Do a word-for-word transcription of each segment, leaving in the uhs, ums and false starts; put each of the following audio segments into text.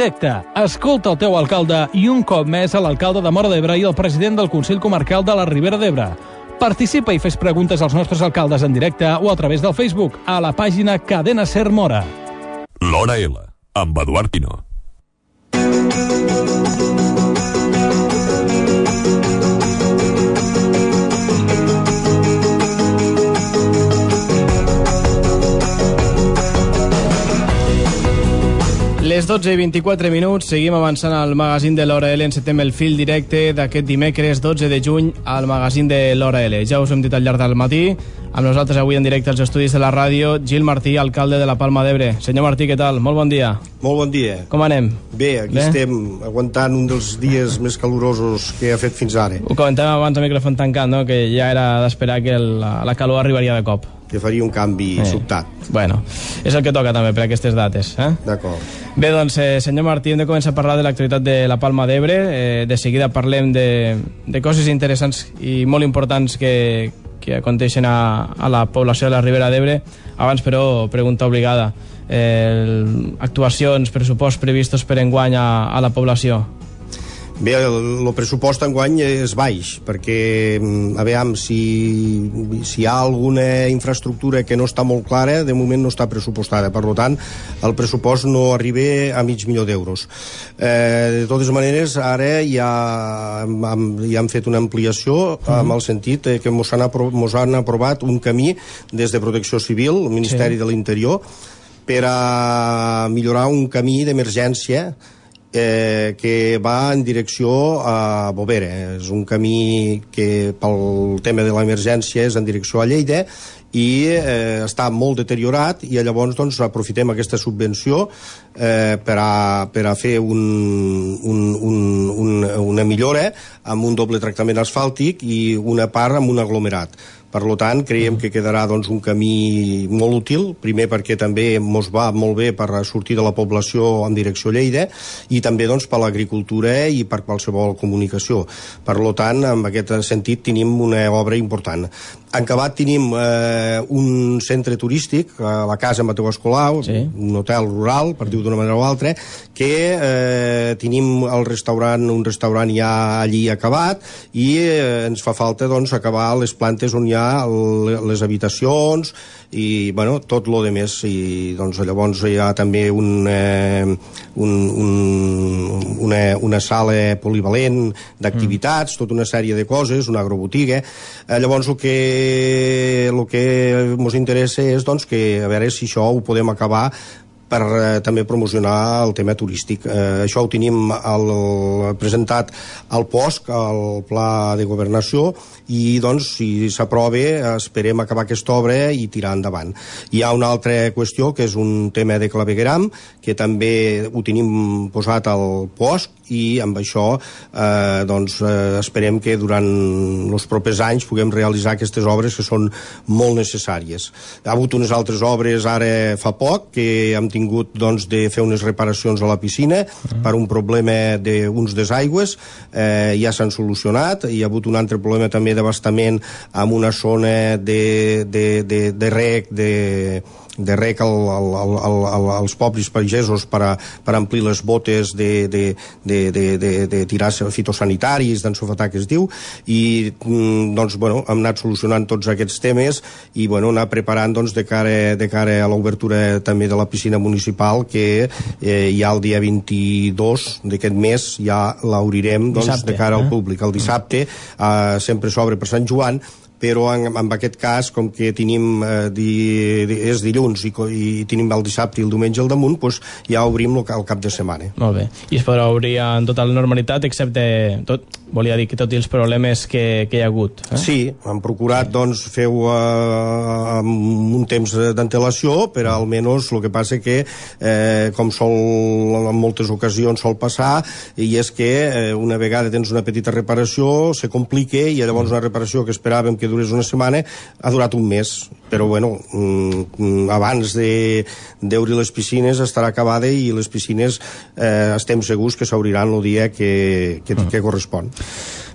directe. Escolta el teu alcalde i un cop més a l'alcalde de Móra d'Ebre i el president del Consell Comarcal de la Ribera d'Ebre. Participa i fes preguntes als nostres alcaldes en directe o a través del Facebook a la pàgina Cadena Ser Móra. L'Hora L, amb Eduard Pino. Les dotze i vint-i-quatre minuts, seguim avançant al magazín de l'Hora L. Encetem el fil directe d'aquest dimecres dotze de juny al magazín de l'Hora L. Ja us hem dit al llarg del matí, amb nosaltres avui en directe als estudis de la ràdio, Gil Martí, alcalde de la Palma d'Ebre. Senyor Martí, què tal? Molt bon dia. Molt bon dia. Com anem? Bé, aquí Bé? estem aguantant un dels dies més calorosos que ha fet fins ara. Ho comentàvem abans al micròfon tancat, no? Que ja era d'esperar que el, la calor arribaria de cop. Que faria un canvi eh. sobtat. Bueno, és el que toca també per aquestes dates. Eh? D'acord. Bé, doncs, eh, senyor Martí, hem de començar a parlar de l'actualitat de la Palma d'Ebre. Eh, de seguida parlem de, de coses interessants i molt importants que, que aconteixen a, a la població de la Ribera d'Ebre. Abans, però, pregunta obligada. Eh, actuacions, pressupost previstos per enguany a, a la població? Bé, el, el pressupost enguany és baix, perquè a veure si, si hi ha alguna infraestructura que no està molt clara, de moment no està pressupostada, per tant el pressupost no arriba a mig milió d'euros. Eh, de totes maneres, ara ja hem, ja hem fet una ampliació uh-huh. amb el sentit que mos han, aprovat, mos han aprovat un camí des de Protecció Civil, el Ministeri sí. de l'Interior, per a millorar un camí d'emergència Eh, que va en direcció a Bovera. És un camí que pel tema de l'emergència és en direcció a Lleida i eh, està molt deteriorat i llavors doncs, aprofitem aquesta subvenció eh, per, a, per a fer un, un, un, un, una millora amb un doble tractament asfàltic i una part amb un aglomerat. Per tant, creiem que quedarà doncs, un camí molt útil, primer perquè també ens va molt bé per sortir de la població en direcció a Lleida i també doncs, per l'agricultura i per qualsevol comunicació. Per tant, en aquest sentit, tenim una obra important. En acabat tenim eh, un centre turístic, a la Casa Mateu Escolau, sí. un hotel rural, per dir-ho d'una manera o altra, que eh, tenim el restaurant, un restaurant ja allí acabat i eh, ens fa falta doncs, acabar les plantes on hi ha les habitacions i bueno, tot lo de més i doncs llavors hi ha també un, eh, un, un, una, una sala polivalent d'activitats, mm. tota una sèrie de coses, una agrobotiga. Eh, llavors el que el que ens interessa és doncs, que a veure si això ho podem acabar per eh, també promocionar el tema turístic. Eh, això ho tenim el, presentat al P O S C, al Pla de Governació, i doncs, si s'aprova, esperem acabar aquesta obra i tirar endavant. Hi ha una altra qüestió, que és un tema de clavegueram, que també ho tenim posat al P O S C, i amb això eh, doncs, eh, esperem que durant els propers anys puguem realitzar aquestes obres que són molt necessàries. Hi ha hagut unes altres obres ara fa poc, que hem tingut doncs, de fer unes reparacions a la piscina uh-huh. per un problema d'uns desaigües, eh, ja s'han solucionat. Hi ha hagut un altre problema també d'abastament amb una zona de, de, de, de rec de, de rec al, al, al, al, als pobles pagesos per, a, per amplir les botes de, de, de, de, de, de tirar fitosanitaris, d'ensofetar que es diu, i doncs, bueno, hem anat solucionant tots aquests temes i bueno, anar preparant doncs, de, cara, de cara a l'obertura també de la piscina municipal, que eh, ja el dia vint-i-dos d'aquest mes ja l'obrirem doncs, de cara al públic. El dissabte eh, sempre s'obre per Sant Joan, però en, en aquest cas, com que tenim eh, di, di, és dilluns i, i tenim el dissabte i el diumenge al damunt, doncs ja obrim el, el cap de setmana. Molt bé. I es podrà obrir en tota la normalitat, excepte tot, volia dir que tot i els problemes que, que hi ha hagut. Eh? Sí, hem procurat doncs, fer-ho eh, amb un temps d'antelació, però almenys el que passa que, eh, com sol en moltes ocasions sol passar, i és que eh, una vegada tens una petita reparació, se complica, i llavors una reparació que esperàvem que durés una setmana ha durat un mes. Però bueno, abans d'obrir les piscines estarà acabada i les piscines eh, estem segurs que s'obriran el dia que, que, que correspon.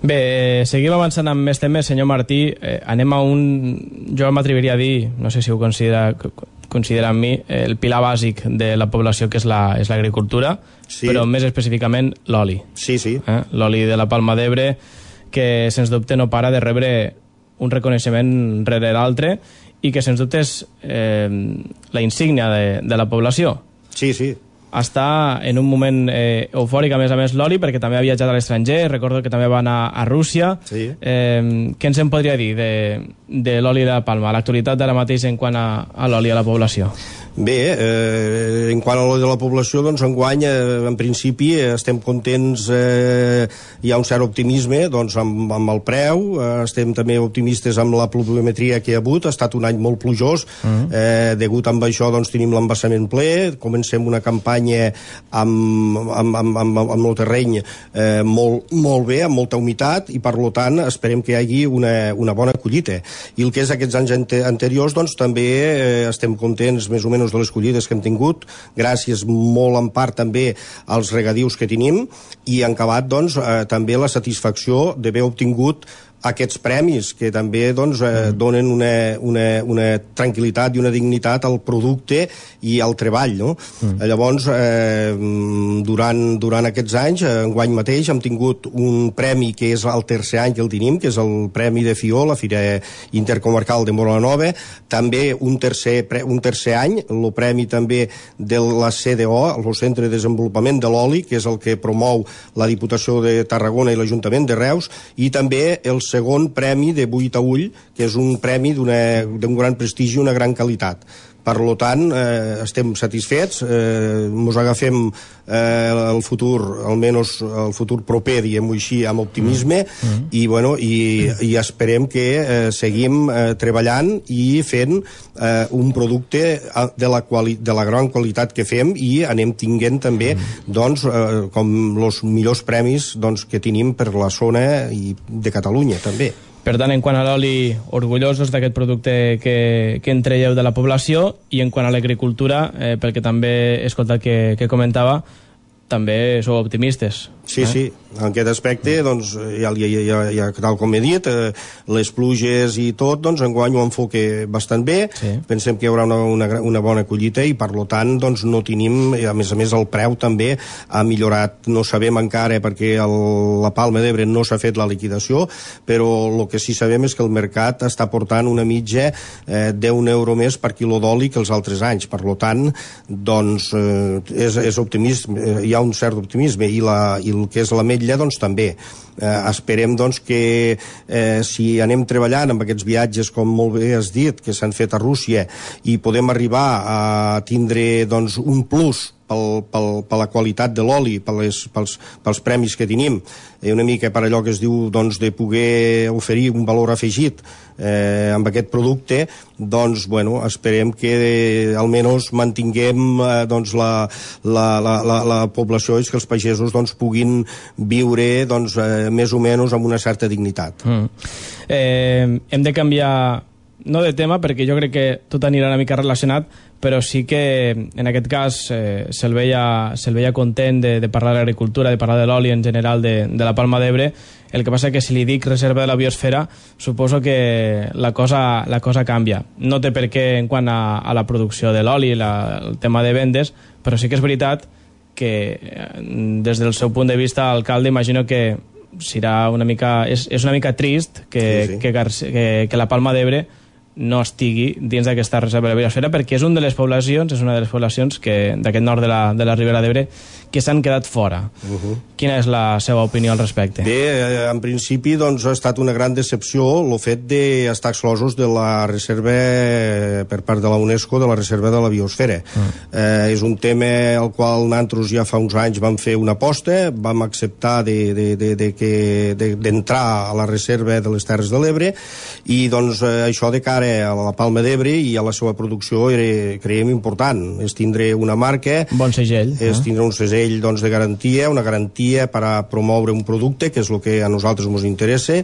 Bé, seguim avançant amb més temes, senyor Martí. Eh, anem a un... Jo m'atreviria a dir, no sé si ho considera considera amb mi, el pilar bàsic de la població, que és l'agricultura, la, sí. però més específicament l'oli. Sí, sí. Eh? L'oli de la Palma d'Ebre, que sens dubte no para de rebre un reconeixement rere l'altre i que sens dubte és eh, la insígnia de, de la població. Sí, sí. Està en un moment eh, eufòric, a més a més, l'oli, perquè també ha viatjat a l'estranger, recordo que també va anar a Rússia. Sí. Eh, què ens en podria dir de, de l'oli de la Palma, l'actualitat d'ara mateix en quant a, a l'oli a la població? Bé, eh, en quant a l'oli de la població, doncs enguany, eh, en principi, eh, estem contents, eh, hi ha un cert optimisme doncs, amb, amb el preu, eh, estem també optimistes amb la pluviometria que hi ha hagut, ha estat un any molt plujós, uh-huh. eh, degut amb això doncs, tenim l'embassament ple, comencem una campanya amb, amb, amb, amb, amb el terreny eh, molt, molt bé, amb molta humitat, i per tant esperem que hi hagi una, una bona collita. I el que és aquests anys ante anteriors, doncs també eh, estem contents més o menys de les collides que hem tingut, gràcies molt en part també als regadius que tenim, i en acabat doncs, eh, també la satisfacció d'haver obtingut aquests premis que també doncs, eh, donen una, una, una tranquil·litat i una dignitat al producte i al treball, no? Mm. Llavors, eh, durant, durant aquests anys, enguany mateix, hem tingut un premi que és el tercer any que el tenim, que és el Premi de Fió, la Fira Intercomarcal de Móra la Nova, també un tercer, un tercer any, el premi també de la C D O, el Centre de Desenvolupament de l'Oli, que és el que promou la Diputació de Tarragona i l'Ajuntament de Reus, i també el segon premi de Buit a Ull, que és un premi d'un gran prestigi i una gran qualitat. Per tant, eh, estem satisfets, eh, ens agafem eh, el futur, almenys el futur proper, diguem-ho així, amb optimisme, mm. i, bueno, i, i esperem que eh, seguim eh, treballant i fent eh, un producte de la, quali de la gran qualitat que fem, i anem tinguent també mm. doncs, eh, com els millors premis doncs, que tenim per la zona i de Catalunya també. Per tant, en quant a l'oli, orgullosos d'aquest producte que, que en traieu de la població, i en quant a l'agricultura, eh, pel que també he escoltat que, que comentava, també sou optimistes. Sí, eh? sí, en aquest aspecte, doncs, ja, ja, ja, ja, tal com he dit, eh, les pluges i tot, doncs, enguany ho enfoque bastant bé, sí. Pensem que hi haurà una, una, una bona collita, i per tant, doncs, no tenim, a més a més el preu també ha millorat, no sabem encara perquè el, la Palma d'Ebre no s'ha fet la liquidació, però el que sí sabem és que el mercat està portant una mitja eh, deu euro més per quilo d'oli que els altres anys, per tant, doncs, eh, és, és optimisme, hi ha un cert optimisme, i la i el que és l'ametlla, doncs també. Eh, esperem doncs, que eh, si anem treballant amb aquests viatges, com molt bé has dit, que s'han fet a Rússia, i podem arribar a tindre doncs, un plus pel, pel, per la qualitat de l'oli, pels, pels premis que tenim, i una mica per allò que es diu doncs, de poder oferir un valor afegit eh, amb aquest producte, doncs, bueno, esperem que eh, almenys mantinguem eh, doncs, la, la, la, la, la població, i que els pagesos doncs, puguin viure doncs, eh, més o menys amb una certa dignitat. Mm. Eh, hem de canviar, no de tema, perquè jo crec que tot anirà una mica relacionat, però sí que en aquest cas eh, se'l veia, se veia content de, de parlar de l'agricultura, de parlar de l'oli en general de, de la Palma d'Ebre. El que passa que si li dic reserva de la biosfera, suposo que la cosa, la cosa canvia. No té per què en quant a, a la producció de l'oli, el tema de vendes, però sí que és veritat que des del seu punt de vista, alcalde, imagino que serà una mica, és, és una mica trist que, sí, sí. que, que, que la Palma d'Ebre no estigui dins d'aquesta reserva de la biosfera, perquè és una de les poblacions, és una de les poblacions que d'aquest nord de la, de la Ribera d'Ebre que s'han quedat fora. Uh-huh. Quina és la seva opinió al respecte? Bé, en principi doncs, ha estat una gran decepció el fet d'estar exclosos de la reserva per part de la UNESCO, de la reserva de la biosfera. Uh-huh. Eh, és un tema al qual nosaltres ja fa uns anys vam fer una aposta, vam acceptar de, de, de, de que, de, d'entrar a la reserva de les Terres de l'Ebre, i doncs eh, això de cara a la Palma d'Ebre i a la seva producció era, creiem, important. És tindre una marca, bon segell, és tindre un segell doncs, de garantia, una garantia per a promoure un producte, que és el que a nosaltres ens interessa.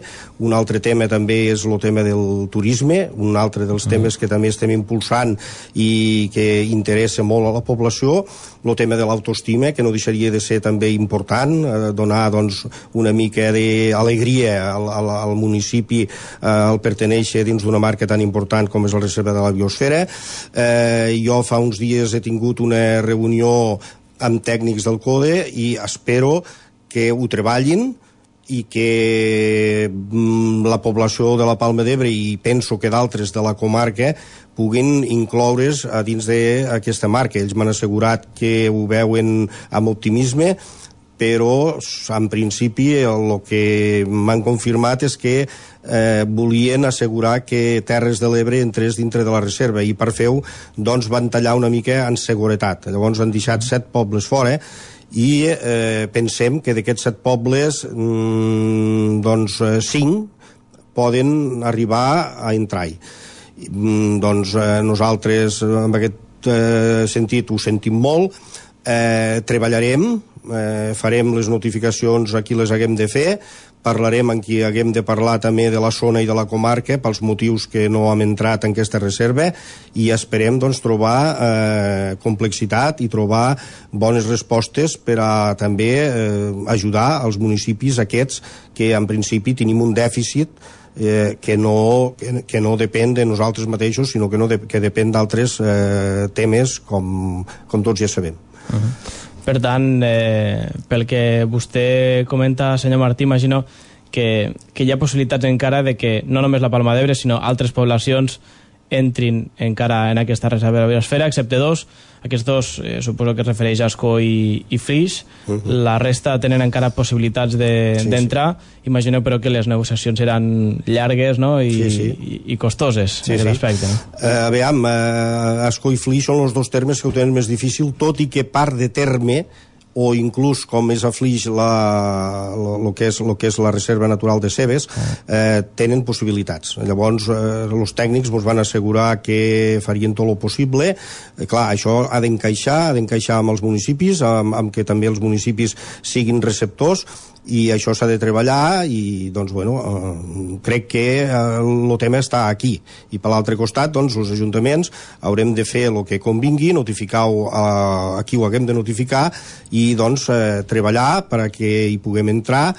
Un altre tema també és el tema del turisme, un altre dels temes que també estem impulsant i que interessa molt a la població. El tema de l'autoestima, que no deixaria de ser també important, eh, donar doncs, una mica d'alegria al, al, al municipi, eh, al pertenèixer dins d'una marca tan important important com és la reserva de la biosfera. Eh, jo fa uns dies he tingut una reunió amb tècnics del CODE i espero que ho treballin i que la població de la Palma d'Ebre i penso que d'altres de la comarca puguin incloure's a dins d'aquesta marca. Ells m'han assegurat que ho veuen amb optimisme, però en principi el que m'han confirmat és que eh, volien assegurar que Terres de l'Ebre entrés dintre de la reserva i per fer-ho doncs van tallar una mica en seguretat. Llavors han deixat set pobles fora i eh, pensem que d'aquests set pobles mmm, doncs eh, cinc poden arribar a entrar-hi. Mm, doncs eh, nosaltres en aquest eh, sentit ho sentim molt, eh, treballarem, eh, farem les notificacions a qui les haguem de fer, parlarem amb qui haguem de parlar també de la zona i de la comarca pels motius que no hem entrat en aquesta reserva i esperem doncs, trobar eh, complexitat i trobar bones respostes per a també eh, ajudar els municipis aquests que en principi tenim un dèficit eh, que, no, que, que no depèn de nosaltres mateixos sinó que, no de, que depèn d'altres eh, temes com, com tots ja sabem. Uh-huh. Per tant, eh, pel que vostè comenta, senyor Martí, imagino que, que hi ha possibilitats encara de que no només la Palma d'Ebre, sinó altres poblacions entrin encara en aquesta reserva de la biosfera, excepte dos. Aquests dos, eh, suposo que es refereix a Ascó i, i Flix. Uh -huh. La resta tenen encara possibilitats d'entrar. De, sí, sí. Imagineu, però, que les negociacions seran llargues, no? I, sí, sí. i, i costoses, sí, en aquest sí. aspecte. No? Uh, aviam, uh, Ascó i Flix són els dos termes que ho tenen més difícil, tot i que part de terme o inclús com és a Flix el que, és, lo que és la reserva natural de Cebes, eh, tenen possibilitats. Llavors, eh, els tècnics ens van assegurar que farien tot el possible. Eh, clar, això ha d'encaixar, ha d'encaixar amb els municipis, amb, amb que també els municipis siguin receptors, i això s'ha de treballar i doncs bueno, eh, crec que el eh, tema està aquí i per l'altre costat doncs els ajuntaments haurem de fer el que convingui, notificar-ho a, a qui ho haguem de notificar i doncs eh, treballar perquè hi puguem entrar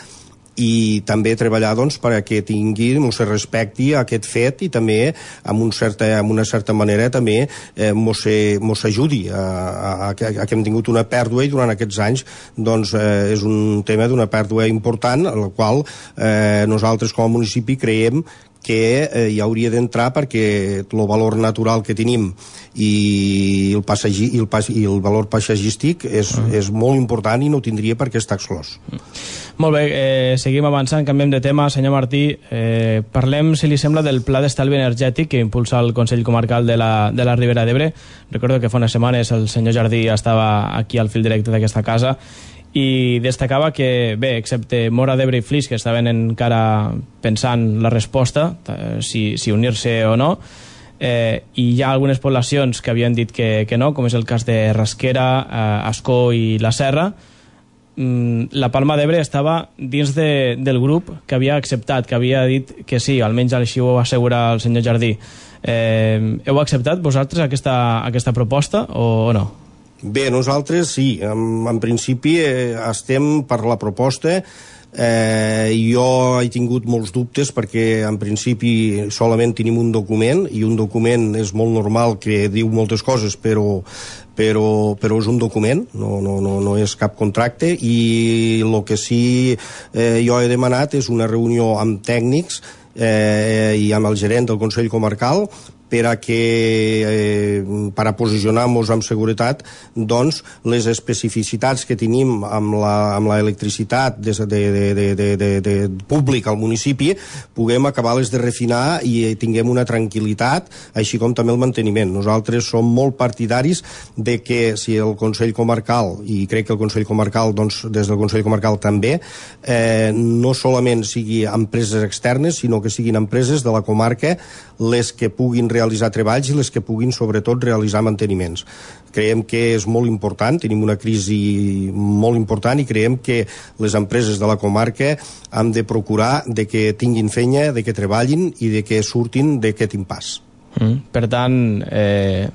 i també treballar doncs, perquè tingui, no se respecti aquest fet i també amb, un certa, amb una certa manera també eh, mos, mos ajudi a, a, a, a que hem tingut una pèrdua i durant aquests anys doncs, eh, és un tema d'una pèrdua important en la qual eh, nosaltres com a municipi creiem que eh, hi hauria d'entrar perquè el valor natural que tenim i el, passagi, i el, pas, i el valor paisatgístic és, uh -huh. és molt important i no tindria per què estar exclòs. Uh -huh. Molt bé, eh, seguim avançant, canviem de tema. Senyor Martí, eh, parlem, si li sembla, del pla d'estalvi energètic que impulsa el Consell Comarcal de la, de la Ribera d'Ebre. Recordo que fa unes setmanes el senyor Jardí estava aquí al fil directe d'aquesta casa i destacava que, bé, excepte Móra d'Ebre i Flix, que estaven encara pensant la resposta, si, si unir-se o no, eh, i hi ha algunes poblacions que havien dit que, que no, com és el cas de Rasquera, eh, Ascó i la Serra. Mm, la Palma d'Ebre estava dins de, del grup que havia acceptat, que havia dit que sí, almenys així ho va assegurar el senyor Jardí. Eh, heu acceptat vosaltres aquesta, aquesta proposta o, o no? Bé, nosaltres sí, en, en principi eh, estem per la proposta. Eh, jo he tingut molts dubtes perquè en principi solament tenim un document i un document és molt normal que diu moltes coses però, però, però és un document, no, no, no, no és cap contracte i el que sí eh, jo he demanat és una reunió amb tècnics eh, i amb el gerent del Consell Comarcal per a que eh, per a posicionar-nos amb seguretat doncs les especificitats que tenim amb la, amb la electricitat de, de, de, de, de, de públic al municipi puguem acabar-les de refinar i tinguem una tranquil·litat, així com també el manteniment. Nosaltres som molt partidaris de que si el Consell Comarcal, i crec que el Consell Comarcal doncs des del Consell Comarcal també, eh, no solament sigui empreses externes sinó que siguin empreses de la comarca les que puguin realitzar treballs i les que puguin sobretot realitzar manteniments. Creiem que és molt important, tenim una crisi molt important i creiem que les empreses de la comarca han de procurar de que tinguin feina, de que treballin i de que surtin d'aquest impàs. Mm, per tant, eh,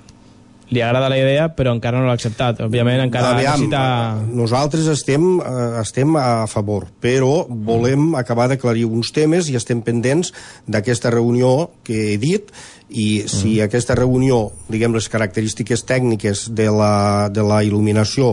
li agrada la idea però encara no l'ha acceptat. Òbviament encara Aviam, necessita... Nosaltres estem, estem a favor, però volem acabar d'aclarir uns temes i estem pendents d'aquesta reunió que he dit, i si mm. aquesta reunió, diguem, les característiques tècniques de la, de la il·luminació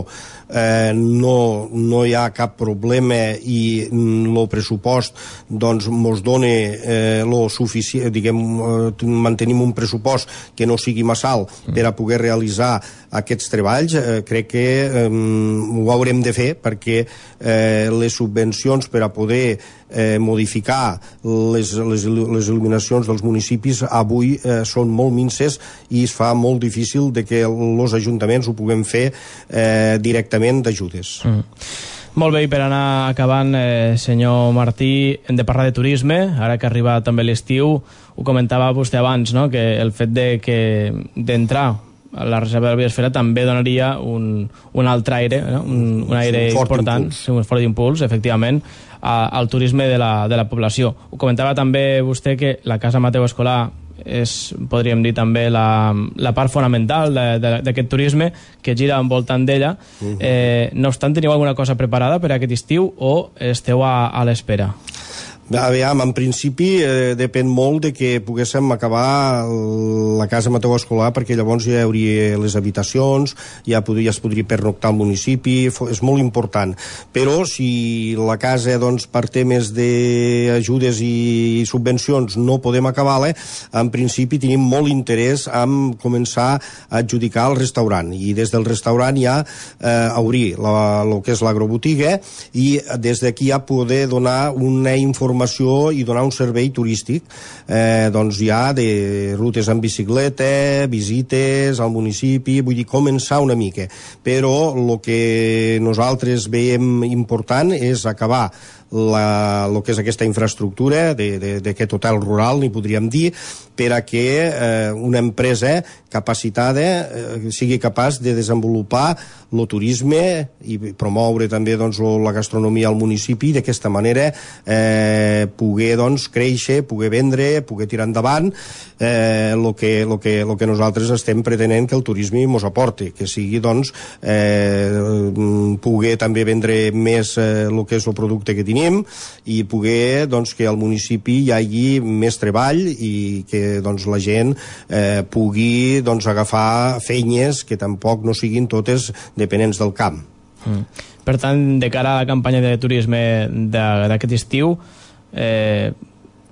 eh, no, no hi ha cap problema i el pressupost doncs mos dona eh, lo suficient, diguem, eh, mantenim un pressupost que no sigui massa alt mm. per a poder realitzar aquests treballs, eh, crec que eh, ho haurem de fer, perquè eh, les subvencions per a poder eh, modificar les, les, les il·luminacions dels municipis avui eh, són molt minces i es fa molt difícil de que els ajuntaments ho puguem fer eh, directament d'ajudes. Mm. Molt bé, i per anar acabant, eh, senyor Martí, hem de parlar de turisme, ara que arriba també l'estiu. Ho comentava vostè abans, no?, que el fet de que d'entrar a la reserva de la biosfera també donaria un, un altre aire, no? un, un aire un important, impuls. un fort impuls, efectivament, a, al turisme de la, de la població. Ho comentava també vostè que la Casa Mateu Escolà és, podríem dir, també la, la part fonamental d'aquest turisme que gira envoltant d'ella. Uh-huh. eh, no obstant, teniu alguna cosa preparada per a aquest estiu o esteu a, a l'espera? Aviam, en principi eh, depèn molt de que poguéssim acabar la Casa Mateu Escolà, perquè llavors ja hi hauria les habitacions, ja, podria, ja es podria pernoctar al municipi, és molt important. Però si la casa, doncs, per temes d'ajudes i subvencions no podem acabar-la, en principi tenim molt interès en començar a adjudicar el restaurant, i des del restaurant ja eh, obrir el que és l'agrobotiga, i des d'aquí ja poder donar una informació i donar un servei turístic, eh, doncs ja de rutes en bicicleta, visites al municipi, vull dir, començar una mica. Però el que nosaltres veiem important és acabar la, lo que és aquesta infraestructura d'aquest hotel rural, n'hi podríem dir, per a que eh, una empresa capacitada eh, sigui capaç de desenvolupar el turisme i promoure també doncs, la gastronomia al municipi, i d'aquesta manera eh, poder doncs, créixer, poder vendre, poder tirar endavant eh, lo, que, lo, que, lo que nosaltres estem pretenent que el turisme mos aporti, que sigui doncs, eh, poder també vendre més eh, el que és el producte que tenim, i poder doncs, que al municipi hi hagi més treball i que doncs, la gent eh, pugui doncs, agafar feines que tampoc no siguin totes dependents del camp. Mm. Per tant, de cara a la campanya de turisme d'aquest estiu, eh,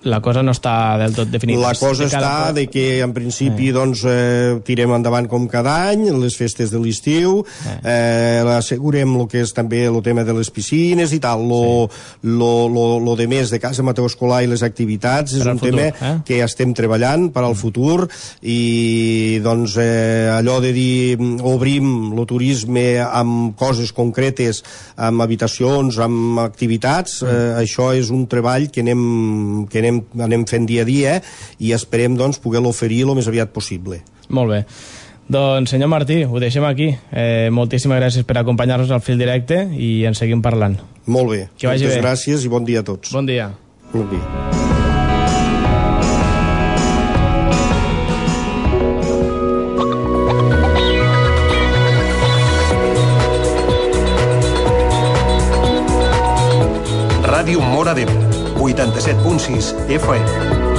la cosa no està del tot definida. La cosa de està a... de que en principi eh. doncs, eh, tirem endavant com cada any les festes de l'estiu, eh. eh, assegurem el que és també el tema de les piscines i tal, lo, sí. lo, lo, lo de més de Casa Mateu Escolà i les activitats és un futur, tema eh? que estem treballant per al futur, i doncs eh, allò de dir obrim el turisme amb coses concretes, amb habitacions, amb activitats, eh, això és un treball que anem, que anem anem fent dia a dia, i esperem doncs, poder-lo oferir el més aviat possible. Molt bé. Doncs, senyor Martí, ho deixem aquí. Eh, moltíssimes gràcies per acompanyar-nos al fil directe i en seguim parlant. Molt bé. Que vagi Moltes bé. gràcies i bon dia a tots. Bon dia. Bon dia. Ràdio Móra d'Ebre, vuitanta-set punt sis F M.